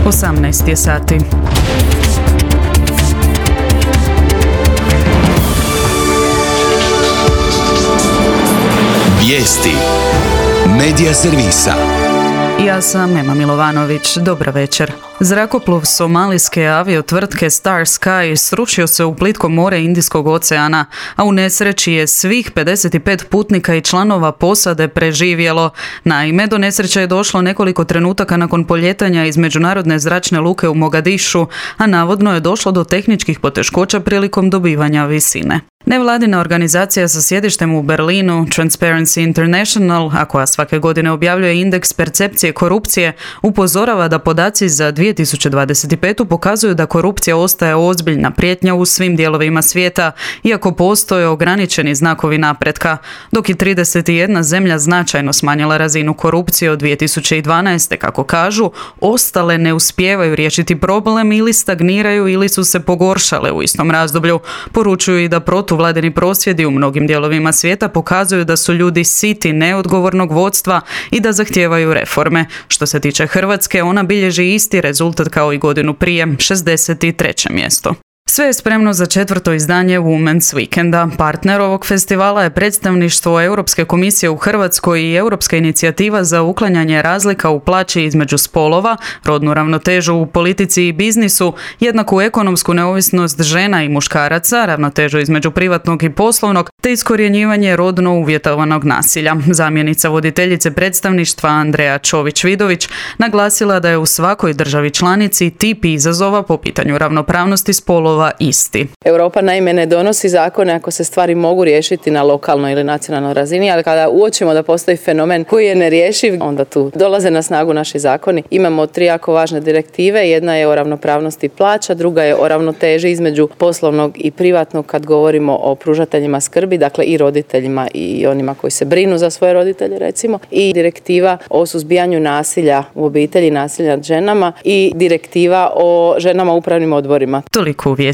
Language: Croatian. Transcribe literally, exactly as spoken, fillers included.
osamnaest je sati. Vijesti Medija servisa. Ja sam Ema Milovanović. Dobar večer. Zrakoplov somalijske aviotvrtke Star Sky srušio se u plitko more Indijskog oceana, a u nesreći je svih pedeset pet putnika i članova posade preživjelo. Naime, do nesreće je došlo nekoliko trenutaka nakon poljetanja iz međunarodne zračne luke u Mogadišu, a navodno je došlo do tehničkih poteškoća prilikom dobivanja visine. Nevladina organizacija sa sjedištem u Berlinu, Transparency International, a koja svake godine objavljuje indeks percepcije korupcije, upozorava da podaci za dvije tisuće dvadeset petu pokazuju da korupcija ostaje ozbiljna prijetnja u svim dijelovima svijeta, iako postoje ograničeni znakovi napretka, dok je trideset jedna zemlja značajno smanjila razinu korupcije od dvije tisuće dvanaeste. Kako kažu, ostale ne uspijevaju riješiti problem ili stagniraju ili su se pogoršale u istom razdoblju. Poručuju i da protuvladini prosvjedi u mnogim dijelovima svijeta pokazuju da su ljudi siti neodgovornog vodstva i da zahtijevaju reforme. Što se tiče Hrvatske, ona bilježi isti rezultat kao i godinu prije, šezdeset treće mjesto. Sve je spremno za četvrto izdanje Women's Weekenda. Partner ovog festivala je predstavništvo Europske komisije u Hrvatskoj i Europska inicijativa za uklanjanje razlika u plaći između spolova, rodnu ravnotežu u politici i biznisu, jednaku ekonomsku neovisnost žena i muškaraca, ravnotežu između privatnog i poslovnog, te iskorjenjivanje rodno uvjetovanog nasilja. Zamjenica voditeljice predstavništva Andreja Čović-Vidović naglasila da je u svakoj državi članici tip izazova po pitanju ravnopravnosti spolova isti. Europa naime ne donosi zakone ako se stvari mogu riješiti na lokalnoj ili nacionalnoj razini, ali kada uočimo da postoji fenomen koji je nerješiv, onda tu dolaze na snagu naši zakoni. Imamo tri jako važne direktive, jedna je o ravnopravnosti plaća, druga je o ravnoteži između poslovnog i privatnog kad govorimo o pružateljima skrbi, dakle i roditeljima i onima koji se brinu za svoje roditelje recimo, i direktiva o suzbijanju nasilja u obitelji, nasilja nad ženama i direktiva o ženama u upravnim odborima. Toliko u vijestima.